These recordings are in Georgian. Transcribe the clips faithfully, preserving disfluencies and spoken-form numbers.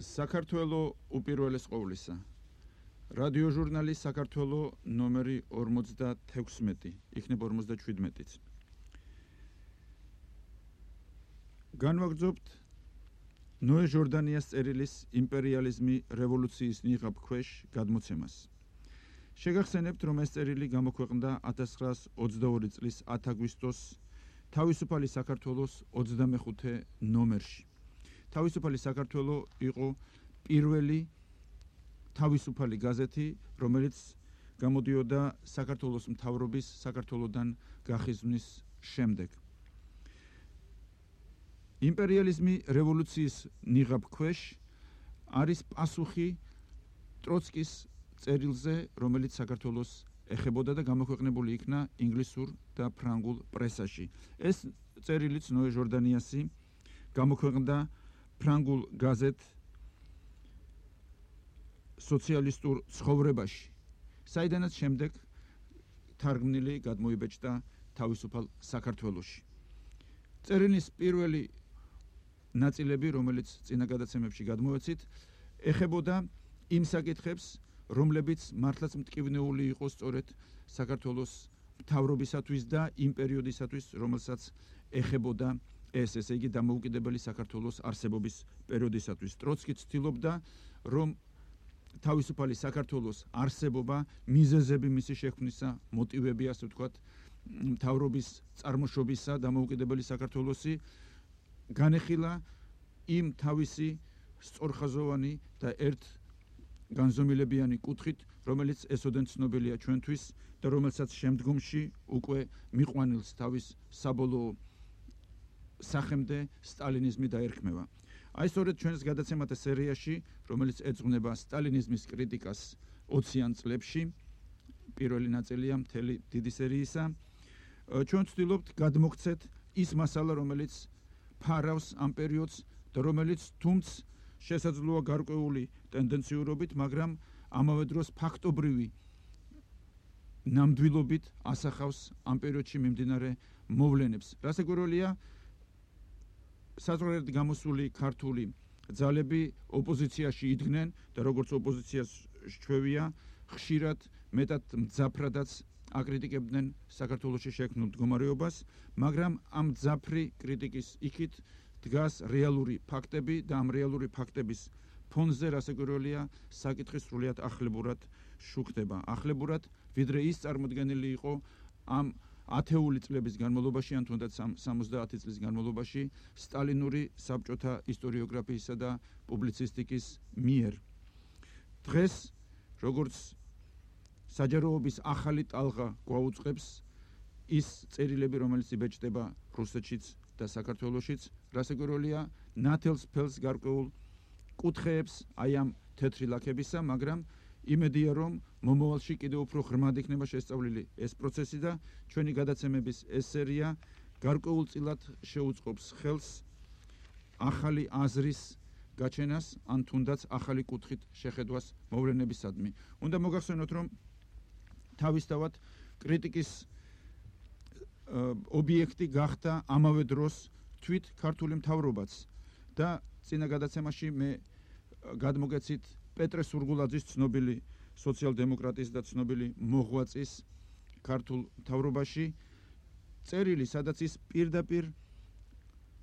საქართველო უპირველეს ყოვლისა. რადიო ჟურნალი საქართველო ნომერი ორმოცდათექვსმეტი, იქნება ორმოცდაჩვიდმეტიც. განვაგრძობთ ნოე ჟორდანიას წერილის იმპერიალიზმი რევოლუციის ნიღაბ ქვეშ გადმოცემას. შეგახსენებთ, რომ ეს წერილი გამოქვეყნდა ათას ცხრაას ოცდაორი წლის ათი აგვისტოს თავისუფალი საქართველოს ოცდამეხუთე ნომერში. თავისუფალი საქართველო იყო პირველი თავისუფალი გაზეთი, რომელიც გამოდიოდა საქართველოს მთავრობის საქართველოდან გახიზვნის შემდეგ. იმპერიალიზმი რევოლუციის ნიღაბ ქვეშ არის პასუხი ტროცკის წერილზე, რომელიც საქართველოს ეხებოდა და გამოქვეყნებული იქნა ინგლისურ და ფრანგულ პრესაში. ეს წერილიც ნოე ჟორდანიასი გამოქვეყნდა ფრანგულ გაზეთ სოციალისტურ ცხოვრებაში, საიდანაც შემდეგ თარგმნილი გადმოიბეჭდა თავისუფალ საქართველოში. წერილის პირველი ნაწილები, რომელიც წინა გადაცემებში გადმოვეცით, ეხებოდა იმ საკითხებს, რომლებიც მართლაც მტკივნეული იყო სწორედ საქართველოს მთავრობისათვის და იმ პერიოდისათვის, რომელსაც ეხებოდა ეს, ესე იგი დამოუკიდებელი საქართველოს არსებობის პერიოდისათვის. ტროცკი ცდილობდა, რომ თავისუფალი საქართველოს არსებობა, მიზეზები მისი შექმნისა, მოტივები, ასე ვთქვათ, მთავრობის წარმოშობისა, დამოუკიდებელი საქართველოსი განეხილა იმ თავისი სწორხაზოვანი და ერთ განზომილებიანი კუთხით, რომელიც ესოდენ ცნობილია ჩვენთვის და რომელსაც შემდგომში უკვე მიყვანილს თავის საბოლოო სახემდე სტალინიზმი დაერქმევა. აი სწორედ ჩვენს გადაცემათა სერიაში, რომელიც ეძღვნება სტალინიზმის კრიტიკას ოციან წლებში, პირველი ნაწილია მთელი დიდი სერიისა, ჩვენ ვცდილობთ გადმოგცეთ ის მასალა, რომელიც ფარავს ამ პერიოდს და რომელიც თუმც შესაძლოა გარკვეული ტენდენციურობით, მაგრამ ამავე დროს ფაქტობრივი ნამდვილობით ასახავს ამ პერიოდში მიმდინარე მოვლენებს. რასაკვირველია, საზღვარგარეთ გამოსული ქართული ძალები ოპოზიციაში იდგნენ და როგორც ოპოზიციას ჩვევია, ხშირად მეტად მძაფრადაც აკრიტიკებდნენ საქართველოში შექმნილ მდგომარეობას, მაგრამ ამ მძაფრი კრიტიკის იქით დგას რეალური ფაქტები და ამ რეალური ფაქტების ფონზე რასაკვირველია, საკითხი სრულიად ახლებურად შუქდება. ახლებურად, ვიდრე ის წარმოდგენილი იყო ამ ათეული წლების განმავლობაში, ან თუნდაც სამოცდაათი წლის განმავლობაში სტალინური საბჭოთა ისტორიოგრაფიისა და პუბლიცისტიკის მიერ. დღეს, როგორც საჯაროობის ახალი ტალღა გვაუწყებს ის წერილები, რომელიც იბეჭდება რუსეთშიც და საქართველოშიც, რასაკვირველია, ნათელს ფელს გარკვეულ კუთხეებს აი ამ თეთრი ლაქებისა, მაგრამ იმედია, რომ მომავალში კიდევ უფრო ღრმად იქნება შესწავლილი ეს პროცესი და ჩვენი გადაცემების ეს სერია გარკვეულწილად შეუწყობს ხელს ახალი აზრის გაჩენას, ან თუნდაც ახალი კუთხით შეხედვას მოვლენებისადმი. უნდა მოგახსენოთ, რომ თავისთავად კრიტიკის ობიექტი გახდა ამავე დროს თვით ქართული მთავრობაც და წინა გადაცემაში მე გადმოგეცით პეტრე სურგულაძის, ცნობილი სოციალ-დემოკრატის და ცნობილი მოღვაწის ქართულ მთავრობაში წერილი, სადაც ის პირდაპირ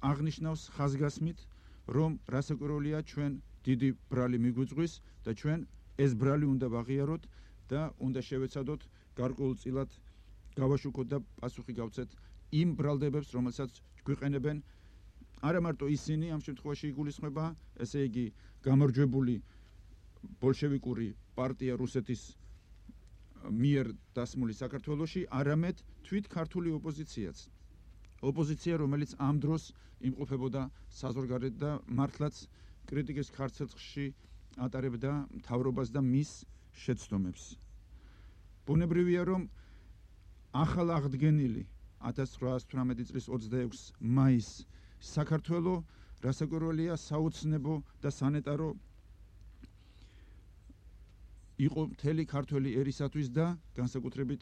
აღნიშნავს ხაზგასმით, რომ რასაკვირველია, ჩვენ დიდი ბრალი მიგვიწვის და ჩვენ ეს ბრალი უნდა ვაღიაროთ და უნდა შევეცადოთ გარკვეულწილად გავაშუქოთ და პასუხი გავცეთ იმ ბრალდებებს, რომელსაც გვიყენებენ არა მარტო ისინი, ამ შემთხვევაში იგულისხმება, ესე იგი გამარჯვებული ბოლშევიკური პარტია რუსეთის მიერ დასმული საქართველოში, არამედ თვით ქართული ოპოზიციაც. ოპოზიცია, რომელიც ამ დროს იმყოფებოდა საზღვარგარეთ და მართლაც კრიტიკის ხარცელში ატარებდა მთავრობას და მის შეცდომებს. ბუნებრივია, რომ ახალ აღდგენილი ათას ცხრაას თვრამეტი წლის ოცდაექვსი მაისს საქართველო რასაკვირველია საოცნებო და სანეტარო იყო მთელი ქართველი ერისათვის და განსაკუთრებით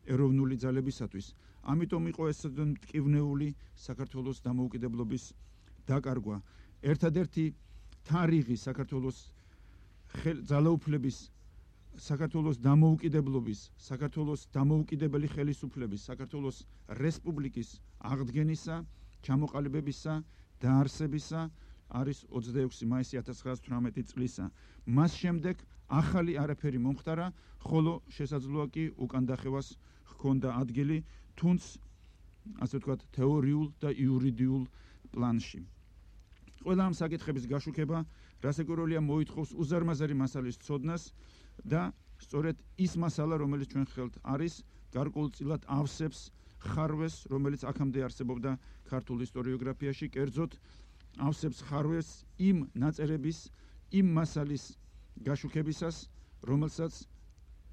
ეროვნული ძალებისათვის. ამიტომ იყო ეს მტკივნეული საქართველოს დამოუკიდებლობის დაკარგვა. ერთადერთი თარიღი საქართველოს ძალაუფლების, საქართველოს დამოუკიდებლობის, საქართველოს დამოუკიდებელი ხელისუფლების, საქართველოს რესპუბლიკის აღდგენისა, ჩამოყალიბებისა, დაარსებისა არის ოცდაექვსი მაისი ათას ცხრაას თვრამეტი წლისა. მას შემდეგ ახალი არაფერი მომხდარა, ხოლო შესაძლოა კი უკან დახევას ჰქონდა ადგილი, თუნც ასე ვთქვათ, თეორიულ და იურიდიულ პლანში. ყველა ამ საკითხების გაშუქება რასაკვირველია მოითხოვს უზარმაზარი მასალის ცოდნას და სწორედ ის მასალა, რომელიც ჩვენ ხელთ არის, გარკვეულწილად ავსებს ხარვეს, რომელიც აქამდე არსებობდა ქართულ ისტორიოგრაფიაში, კერძოდ ავსებს ხარვეს იმ ნაწერების, იმ მასალის გაშუქებისას, რომელსაც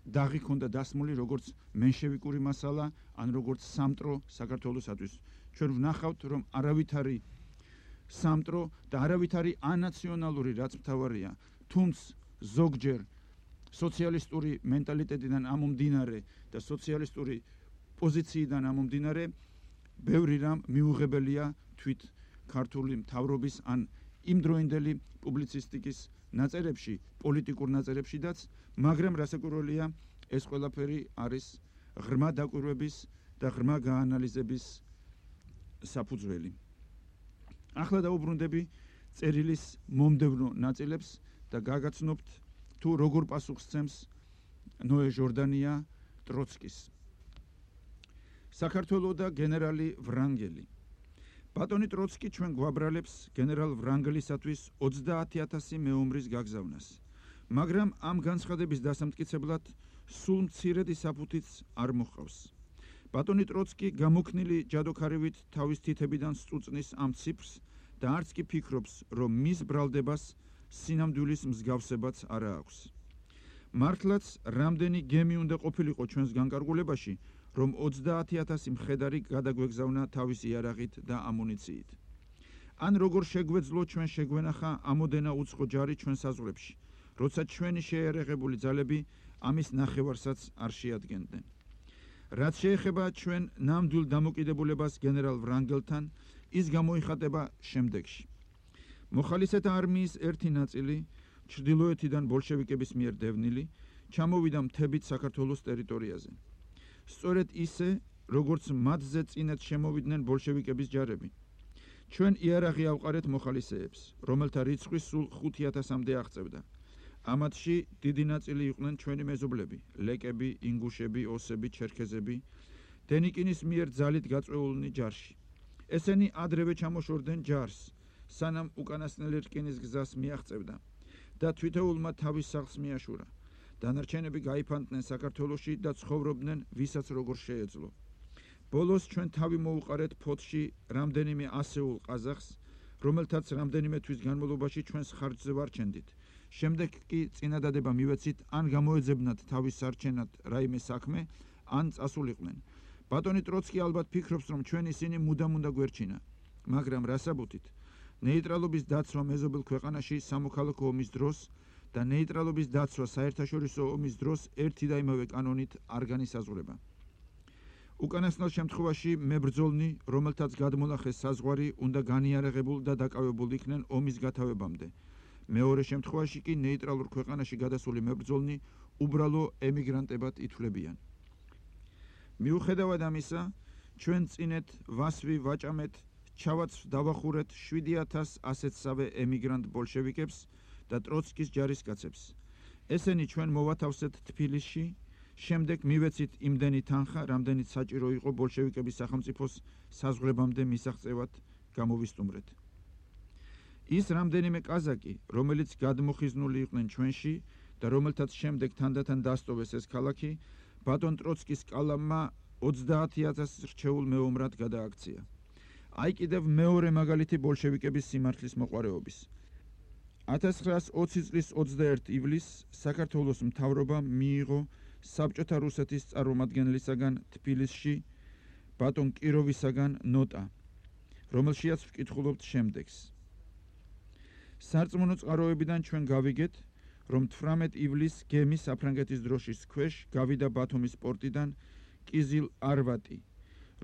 დაღი ჰქონდა დასმული როგორც მენშევიკური მასალა, ან როგორც სამტრო საქართველოსათვის. ჩვენ ვნახავთ, რომ არავითარი სამტრო და არავითარი ანაციონალური, რაც მთავარია, თუნც ზოგჯერ სოციალისტური მენტალიტეტიდან ამომდინარე და სოციალისტური პოზიციიდან ამომდინარე, ბევრი რამ მიუღებელია თვით ქართული მთავრობის ან იმდროინდელი პუბლიცისტიკის ნაწერებში, პოლიტიკურ ნაწერებშიდაც, მაგრამ რასაკვირველია, ეს ყველაფერი არის ღრმა დაკვირვების და ღრმა გაანალიზების საფუძველი. ახლა დაუბრუნდები წერილის მომდევნო ნაწილებს და გაგაცნობთ თუ როგორ პასუხს სცემს ნოე ჟორდანია ტროცკის. საქართველო და გენერალი ვრანგელი. ბატონი ტროცკი ჩვენ გვაბრალებს გენერალ ვრანგელისათვის ოცდაათი ათასი მეომრის გაგზავნას, მაგრამ ამ განცხადების დასამტკიცებლად სულ მცირედი საფუთიც არ მოჰყავს. ბატონი ტროცკი გამოქნილი ჯადოქარივით თავის თითებიდან სწუწნის ამ ციფრს და არც კი ფიქრობს, რომ მის ბრალდებას სინამდვილის მსგავსებაც არა აქვს. მართლაც რამდენი გემი უნდა ყოფილიყო ჩვენს განკარგულებაში, რომ ოცდაათი ათასი მხედარი გადაგვეგზავნა თავისი იარაღით და ამუნიციით. ან როგორ შეგვეძლო ჩვენ შეგვენახა ამოდენა უცხო ჯარი ჩვენ საზღვრებში, როცა ჩვენი შეიარაღებული ძალები ამის ნახევარსაც არ შეადგენდნენ. რაც შეეხება ჩვენ ნამდვილ დამოკიდებულებას გენერალ ვრანგელთან, ის გამოიხატება შემდეგში. მოხალისეთა არმიის ერთი ნაწილი, ჩრდილოეთიდან ბოლშევიკების მიერ დევნილი, ჩამოვიდა მთებით საქართველოს ტერიტორიაზე. სწორედ ისე, როგორც მათზე წინათ შემოვიდნენ ბოლშევიკების ჯარები. ჩვენ იარაღი ავყარეთ მოხალისეებს, რომელთა რიცხვი სულ ხუთი ათასამდე აღწევდა. ამათში დიდი ნაწილი იყვნენ ჩვენი მეზობლები, ლეკები, ინგუშები, ოსები, ჩერქეზები, დენიკინის მიერ ძალით გაწვეულნი ჯარში. ესენი ადრევე ჩამოშორდნენ ჯარს, სანამ უკანასკნელი რკინის გზას მიაღწევდა და თვითეულმა თავის სახლს მიაშურა. დანარჩენები გაიფანტნენ საქართველოში და ცხოვრობდნენ ვისაც როგორ შეეძლო. ბოლოს ჩვენ თავი მოუყარეთ ფოთში რამდენიმე ასეულ ყაზახს, რომელთაც რამდენიმე თვის განმავლობაში ჩვენს ხარჯზე ვარჩენდით. შემდეგ კი წინადადება მივეცით, ან გამოეძებნათ თავის სარჩენად რაიმე საქმე, ან წასულიყვნენ. ბატონი ტროცკი ალბათ ფიქრობს, რომ ჩვენ ისინი მუდამ უნდა გვერჩინა, მაგრამ რასაბუთით? ნეიტრალობის დაცვა მეზობელ ქვეყანაში სამოქალაქო ომის დროს და ნეიტრალობის დაცვა საერთაშორისო ომის დროს ერთი და იმავე კანონით არ განისაზღვრება. უკანასკნელ შემთხვევაში მებრძოლნი, რომელთაც გადმონახეს საზღვარი, უნდა განიარაღებულ და დაკავებულ იქნენ ომის გათავებამდე. მეორე შემთხვევაში კი ნეიტრალურ ქვეყანაში გადასული მებრძოლნი უბრალო ემიგრანტებად ითვლებიან. მიუხედავად ამისა, ჩვენ წინეთ ვასვი ვაჭამეთ, ჩავაც დავახურეთ შვიდი ათას ასეთსავე ემიგრანტ ბოლშევიკებს და ტროცკის ჯარისკაცებს. ესენი ჩვენ მოვათავსეთ თბილისში, შემდეგ მივეცით იმდენი თანხა, რამდენიც საჭირო იყო ბოლშევიკების სახელმწიფოს საზღვრებამდე მისაღწევად გამოვისტუმრეთ. ის რამდენიმე კაზაკი, რომელიც გადმოხიზნული იყვნენ ჩვენში და რომელთაც შემდეგ თანდათან დასტოვეს ეს ქალაქი, ბატონ ტროცკის კალამმა ოცდაათი ათას რჩეულ მეომრად გადააქცია. აი კიდევ მეორე მაგალითი ბოლშევიკების სიმართლის მოყვარეობის. ათას ცხრაას ოცი წლის ოცდაერთი ივლისს საქართველოს მთავრობამ მიიღო საბჭოთა რუსეთის წარმომადგენლისაგან თბილისში ბატონ კიროვისაგან ნოტა, რომელშიაც ვკითხულობთ შემდეგს. სარწმუნო წყაროებიდან ჩვენ გავიგეთ, რომ თვრამეტ ივლისს გემი საფრანგეთის დროშის ქვეშ გავიდა ბათუმის პორტიდან კიზილ არვატი,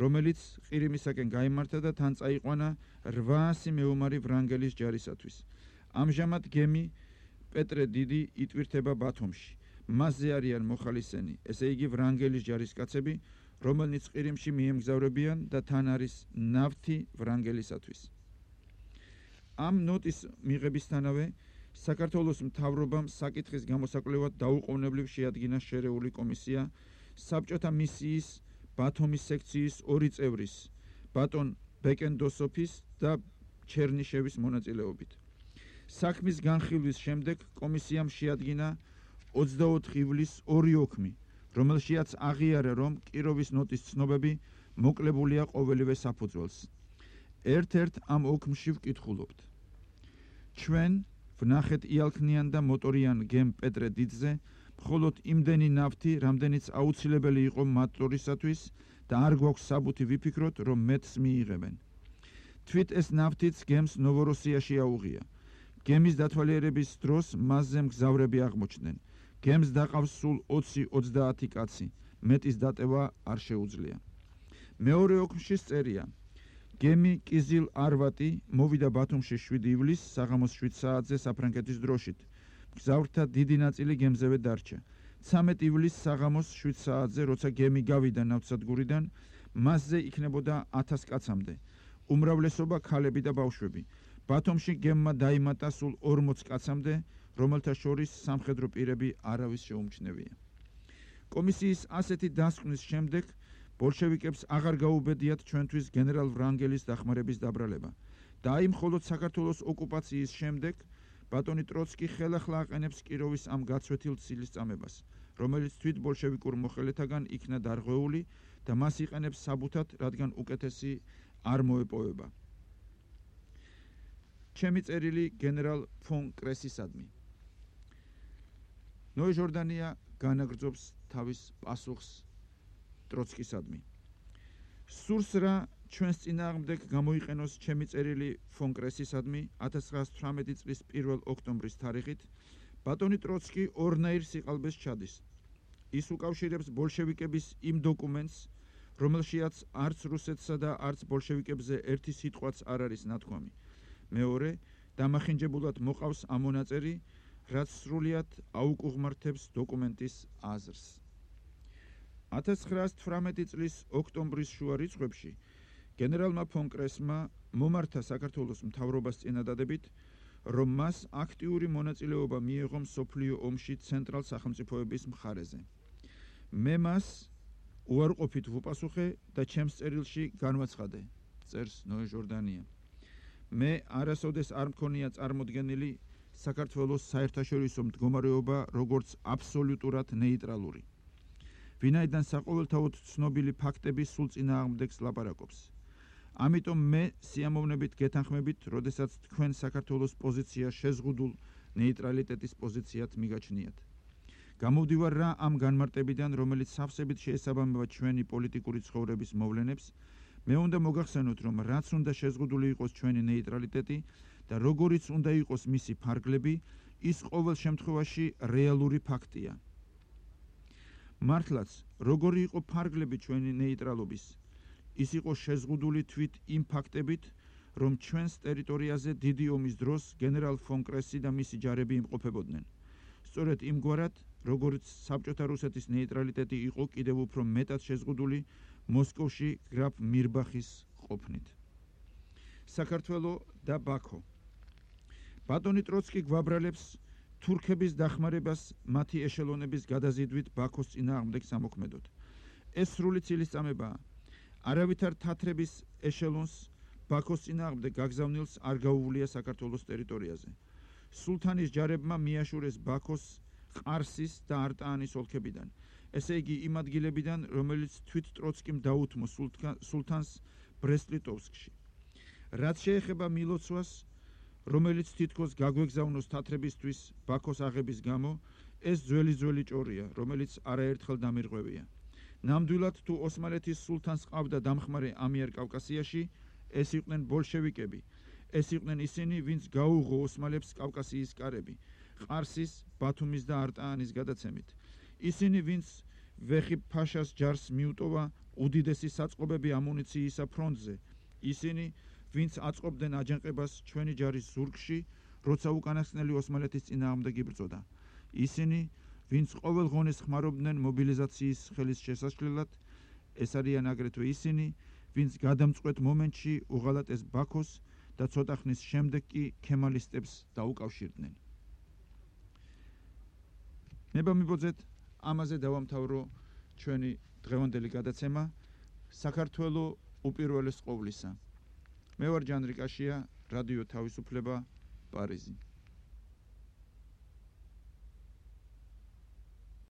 რომელიც ყირიმისაკენ გაიმართა და თან წაიყვანა რვაასი მეომარი ვრანგელის ჯარისათვის. ამჟამად გემი პეტრე დიდი იტვირთება ბათუმში. მასზე არიან მოხალისენი, ესე იგი ვრანგელის ჯარისკაცები, რომელნიც ყირიმში მიემგზავრებიან და თან არის ნავთი ვრანგელისათვის. ამ ნოტის მიღებისთანავე საქართველოს მთავრობამ საკითხის გამოსაკვლევად დაუყოვნებლივ შეადგინა შერეული კომისია საბჭოთა მისიის ბათუმის სექციის ორი წევრის, ბატონ ბეკენდოსოფის და ჩერნიშევის მონაწილეობით. საქმის განხილვის შემდეგ კომისიამ შეადგინა ოცდაოთხ ივლისს ორი ოქმი, რომელშიაც აღიარა, რომ კიროვის ნოტის ცნობები მოკლებულია ყოველივე საფუძველს. ერთ-ერთ ამ ოქმში ვკითხულობთ. ჩვენ ვნახეთ იალქნიან და მოტორიან გემ პეტრე დიდზე, მხოლოდ იმდენი ნავთი, რამდენიც აუცილებელი იყო მატორისათვის და არ გვაქვს საბუთი ვიფიქროთ, რომ მეტს მიიღებენ. თვით ეს ნავთიც გემს ნოვოროსიაში აუღია. გემის დათვალიერების დროს მასზე მგზავრები აღმოჩნდნენ. გემს დაყავს სულ ოცი ოცდაათი კაცი, მეტის დატევა არ შეუძლია. მეორე ოქმში წერია. გემი კიზილ არვატი მოვიდა ბათუმში შვიდი ივლისს საღამოს შვიდ საათზე საფრანგეთის დროშით. მგზავრთა დიდი ნაწილი გემზევე დარჩა. ცამეტ ივლისს საღამოს შვიდ საათზე, როცა გემი გავიდა ნავთსადგურიდან, მასზე იქნებოდა ათას კაცამდე. უმრავლესობა ქალები და ბავშვები. ბათუმში გემმა დაიმატა სულ ორმოც კაცამდე, რომელთა შორის სამხედრო პირები არავის შეუმჩნევია. კომისიის ასეთი დასკვნის შემდეგ ბოლშევიკებს აღარ გაუბედიათ ჩვენთვის გენერალ ვრანგელის დახმარების დაბრალება. და აი მხოლოდ საქართველოს ოკუპაციის შემდეგ ბატონი ტროცკი ხელახლა აყენებს კიროვის ამ გაცვეთილ ცილისწამებას, რომელიც თვით ბოლშევიკურ მოხელეთაგან იქნა დარღვეული და მას იყენებს საბუთად, რადგან უკეთესი არ მოეპოვება. ჩემი წერილი გენერალ ფონ კრესისადმი. ნოე ჟორდანია განაგრძობს თავის პასუხს ტროცკისადმი. სურს რა ჩვენს წინააღმდეგ გამოიყენოს ჩემი წერილი ფონ კრესისადმი ათას ცხრაასი თვრამეტი წლის პირველ ოქტომბრის თარიღით, ბატონი ტროცკი ორნაირ სიყალბეს ჩადის. ის უკავშირებს ბოლშევიკების იმ დოკუმენტს, რომელშიაც არც რუსეთსა და არც ბოლშევიკებზე ერთი სიტყვაც არ არის ნათქვამი. მეორე, დამახინჯებულად მოყავს ამ მონაწერი, რაც სრულიად აუკუღმართებს დოკუმენტის აზრს. ათას ცხრაასი თვრამეტი წლის ოქტომბრის შუა რიცხვებში გენერალმა ფონ კრესმა მომართა საქართველოს მთავრობას წინადადებით, რომ მას აქტიური მონაწილეობა მიეღო მსოფლიო ომში ცენტრალ სახელმწიფოების მხარეზე. მე მას უარყოფით ვუპასუხე და ჩემს წერილში განვაცხადე, წერს ნოე ჟორდანია. მე არასოდეს არ მქონია წარმოდგენილი საქართველოს საერთაშორისო მდგომარეობა როგორც აბსოლუტურად ნეიტრალური. ვინაიდან საყოველთაოდ ცნობილი ფაქტები სულ წინააღმდეგს ლაპარაკობს. ამიტომ მე სიამოვნებით გეთანხმებით, როდესაც თქვენ საქართველოს პოზიცია შეზღუდულ ნეიტრალიტეტის პოზიციად მიგაჩნიათ. გამოვდივარ რა ამ განმარტებიდან, რომელიც სავსებით შეესაბამება ჩვენი პოლიტიკური ცხოვრების მოვლენებს, მე უნდა მოგახსენოთ, რომ რაც უნდა შეზღუდული იყოს ჩვენი ნეიტრალიტეტი და როგორიც უნდა იყოს მისი ფარგლები, ის ყოველ შემთხვევაში რეალური ფაქტია. მართლაც, როგორი იყო ფარგლები ჩვენი ნეიტრალობის, ის იყო შეზღუდული თვით იმ ფაქტებით, რომ ჩვენს ტერიტორიაზე დიდი ომის დროს გენერალ ფონ კრესი და მისი ჯარები იმყოფებოდნენ. სწორედ იმგვარად, როგორც საბჭოთა რუსეთის ნეიტრალიტეტი იყო კიდევ უფრო მეტად შეზღუდული მოსკოვში გრაფ მირბახის ყოფნით. საქართველო და ბაქო. ბატონი ტროცკი გვაბრალებს თურქების დახმარებას მათი ეშელონების გადაზიდვით ბაქოს წინააღმდეგ სამოქმედოდ. ეს სრული ცილისწამებაა. არავითარ თათრების ეშელონს ბაქოს წინააღმდეგ გაგზავნილს არ გაუვლია საქართველოს ტერიტორიაზე. სულთანის ჯარებმა მიაშურეს ბაქოს, ყარსის და არტაანის ოლქებიდან, ესე იგი იმ ადგილებიდან, რომელიც თვით ტროცკიმ დაუთმო სულთანს ბრესტ-ლიტოვსკში. რაც შეეხება მილოცვას, რომელიც თითქოს გაგვეგზავნოს თათრებისთვის ბაქოს აღების გამო, ეს ძველი ძველი ჭორია, რომელიც არაერთხელ დამირღვევია. ნამდვილად თუ ოსმალეთის სულთანს ყავდა დამხმარე ამიერკავკასიაში, ეს იყვნენ ბოლშევიკები. ეს იყვნენ ისინი, ვინც გაუღო ოსმალებს კავკასიის კარები, ყარსის, ბათუმის და არტაანის გადაცემით. ისინი, ვინც ვეხი ფაშას ჯარს მიუტოვა უდიდესი საწყობები ამუნიციისა ფრონტზე. ისინი, ვინც აწყობდნენ აჯანყებას ჩვენი ჯარის ზურგში, როცა უკანასკნელი ოსმალეთის წინააღმდეგ იბრძოდა. ისინი, ვინც ყოველ ღონეს ხმარობდნენ მობილიზაციის ხელის შესაშლელად, ეს არიან აგრეთვე ისინი, ვინც გადამწყვეტ მომენტში უღალატეს ბაქოს და ცოტა ხნის შემდეგ კი ქემალისტებს დაუკავშირდნენ. ნება მიბოძეთ, ამაზე დავამთავრო ჩვენი დღევანდელი გადაცემა საქართველოს უპირველეს ყოვლისა. მე ვარ ჯანრი კაშია, რადიო თავისუფლება, პარიზი.